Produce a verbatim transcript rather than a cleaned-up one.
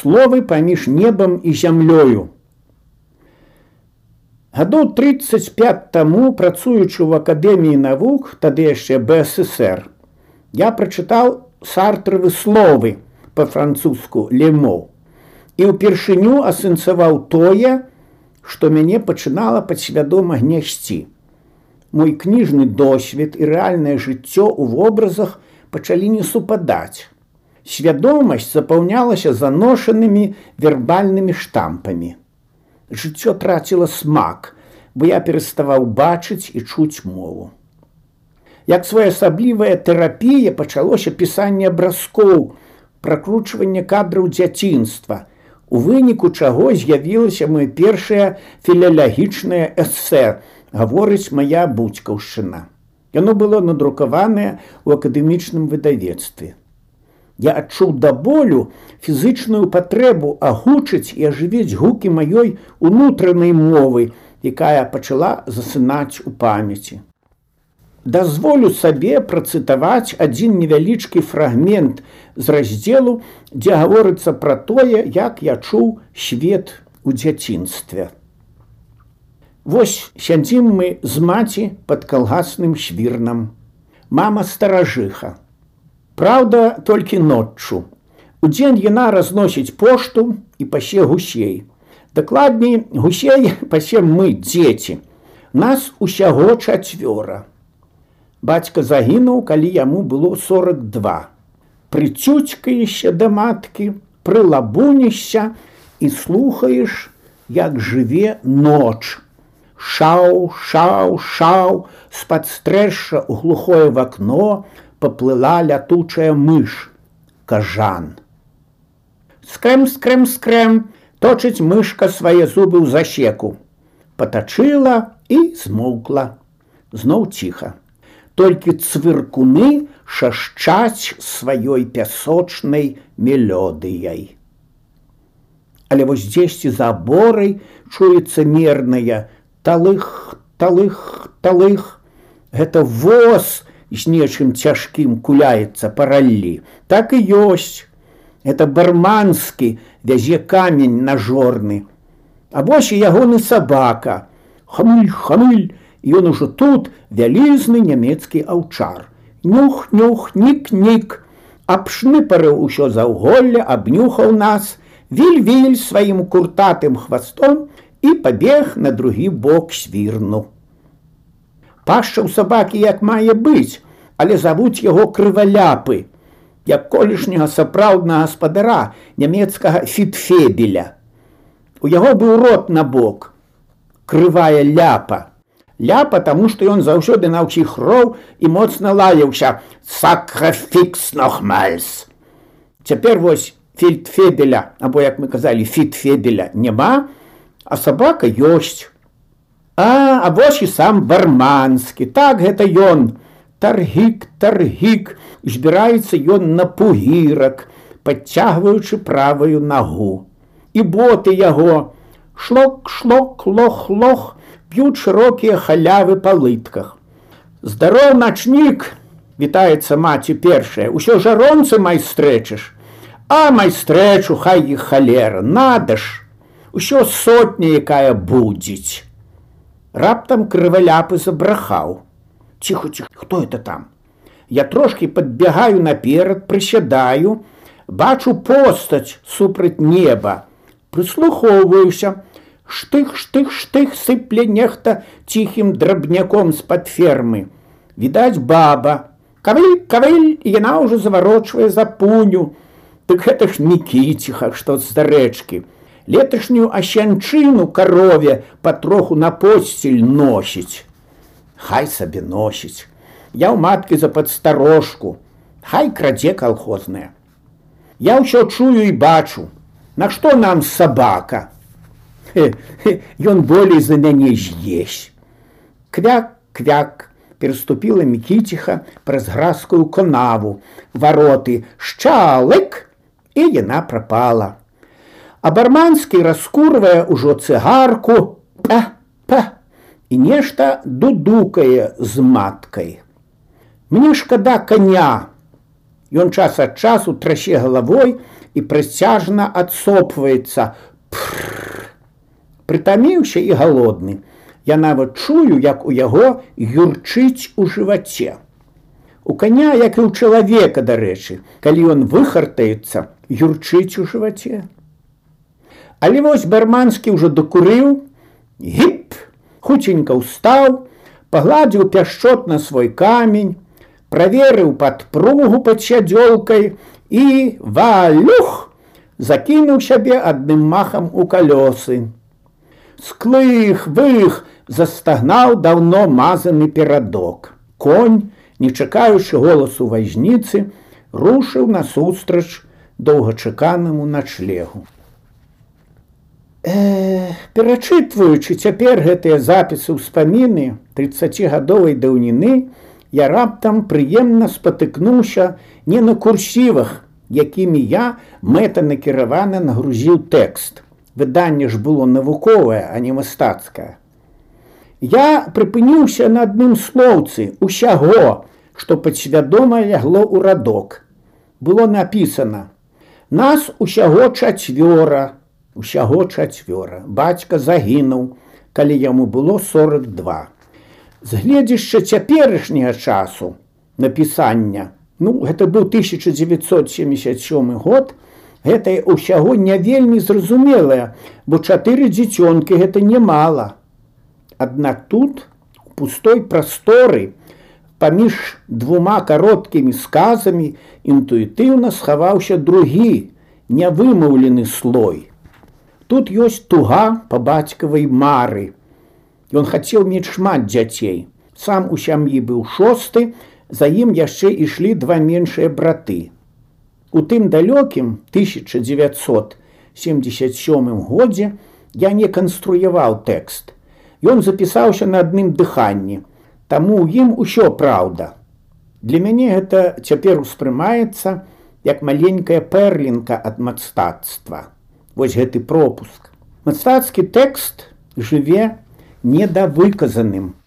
словы паміж небам і зямлёю. Гадоў трыццаць пяць таму, працуючы ў Акадэміі навук, тады яшчэ Бэ Эс Эс Эр, я прачытаў Сартравы словы, па-французску «лемо», і ўпершыню асэнсаваў тое, што мяне пачынала падсвядома гнясці. Мой кніжны досвед і рэальнае жыццё ў вобразах пачалі не супадаць. Свядомасць запаўнялася заношанымі вербальнымі штампамі. Жыццё траціла смак, бо я пераставаў бачыць і чуць мову. Як своеасаблівая тэрапія пачалося пісанне абразкоў, пракручванне кадраў дзяцінства, у выніку чаго з'явілася моё першае філалагічнае эсэ «Гаворыць мая буцькаўшчына». Яно было надрукаванае ў акадэмічным выдавецтве. Я адчуў да болю фізычную патрэбу агучыць і ажывіць гукі маёй унутранай мовы, якая пачала засынаць у памяці. Дазволю сабе працытаваць адзін невялічкі фрагмент з раздзелу, дзе гаворыцца пра тое, як я чуў свет у дзяцінстве. Вось сядзім мы з маці пад калгасным швірнам. Мама старажыха. Праўда, толькі ноччу. Удзень яна разносіць пошту і пасе гусей. Дакладней, гусей пасем мы, дзеці. Нас усяго чацвёра. Бацька загінуў, калі яму было сорак два. Прыцюцькаешся да маткі, прылабунішся і слухаеш, як жыве ноч. Шау, шау, шау, з-пад стрэша ў глухое вакно паплыла лятучая мыш, кажан. Скрэм, скрэм, скрэм, точыць мышка свае зубы ў засеку. Патачыла і змоўкла. Зноў ціха. Толькі цвыркуны шашчаць сваёй пясочнай мелодыяй. Але вось дзесьці за аборай чуецца мерная талых, талых, талых. Гэта воз з нечым цяжкім куляецца па раллі. Так і ёсць. Гэта барманскі вязе камень нажорны. А вось і ягоны сабака. Хамыль, хамыль. Ён ужо тут вялізны нямецкі аўчар. Нюх, нюх, нік-нік. Абшныпарыў усё заўголле, абнюхаў нас, віль-віль сваім куртатым хвастом і пабег на другі бок свірну. Пашча ў сабакі як мае быць, але завуць яго крываляпы, як колішняга сапраўднага гаспадара нямецкага фітфебеля. У яго быў рот на бок, крывая ляпа. Ляпа, таму што ён заўсёды на ўсіх роў і моцна лаяўся «Сакрафікс нохмальс». Цяпер вось фільтфебеля, або, як мы казалі, фітфебеля няма, а сабака ёсць. А, а вось і сам барманскі. Так, гэта ён. Таргік, таргік. Збіраецца ён на пугірак, падцягваючы правую нагу. І боты яго. Шлок, шлок, лох, лох. П'ють шырокія халявы па лытках. Здароў, начнік, вітаецца маці першая. Усё жаронцы майстрэчыш. А майстрэчу, хай іх халера, нада ж. Усё сотня, якая будзіць. Раптам крываляпы забрахаў. Ціхо, ціхо, хто это там? Я трошкі падбягаю наперад, прысядаю, бачу постаць супраць неба. Прыслухоўваюся. Штых, штых, штых сыпле нехта ціхім драбняком з-пад фермы. Відаць, баба. Кавыль, кавыль, і яна ўжо заварочвае за пуню. Дык гэта ж Мікіціха, што з-за рэчкі. Леташнюю асянчыну карове патроху на посціль носіць. Хай сабе носіць. Я ў маткі за падстарожку. Хай крадзе калхозная. Я ўсё чую і бачу. Нашто нам сабака? Ён болей за мяне з'есць. Квяк, квяк, пераступіла Мікіціха праз гразкую канаву. Вароты шчалык, і яна прапала. А барманскі раскурвае ўжо цыгарку, па, па, і нешта дудукае з маткай. Мне шкада коня. Ён час ад часу трасе галавой і прысцяжна адсопваецца. Прытаміўся і галодны. Я нават чую, як у яго юрчыць у жываце. У коня, як і ў чалавека, дарэчы, калі ён выхартаецца, юрчыць у жываце. Але вось Барманскі ўжо дакурыў, гіп, хуценька ўстаў, пагладзіў пяшчотна свой камень, праверыў падпругу пад сядзёлкай і, валюх, закінуў сябе адным махам у калёсы. Склых, вых, застагнаў даўно мазаны перадок. Конь, не чакаючы голасу вазніцы, рушыў насустрач доўгачаканаму начлегу. Э, перачытваючы цяпер гэтыя запісы ўспаміны трыццацігадовай даўніны, я раптам прыемна спатыкнуўся не на курсівах, якімі я мэтанакіравана нагрузіў тэкст. Выданне ж было навуковае, а не мастацкае. Я прыпыніўся на адным слоўцы усяго, што падсвядома лягло ў радок. Было напісана: нас усяго чацвёра, усяго чацвёра. Бацька загінуў, калі яму было сорак два. З гледзяшча цяперашняга часу напісання, ну, гэта быў тысяча дзевяцьсот семьдесят сёмы год, гэта ўсяго не вельмі зразумелае, бо чатыры дзіцёнкі гэта немала. Аднак тут, у пустой прасторы, паміж двума кароткімі сказамі, інтуітыўна схаваўся другі, нявымаўлены слой. Тут ёсць туга па бацькавай мары. Ён хацеў мець шмат дзяцей. Сам у сям'і быў шосты, за ім яшчэ ішлі два меншыя браты. У тым далёкім тысяча дзевяцьсот семьдесят сёмым годзе я не канструяваў тэкст. Ён запісаўся на адным дыханні, таму ў ім усё праўда. Для мяне гэта цяпер успрымаецца як маленькая пэрлінка ад мастацтва. Вось гэты пропуск. Мастацкі тэкст жыве недавыказаным.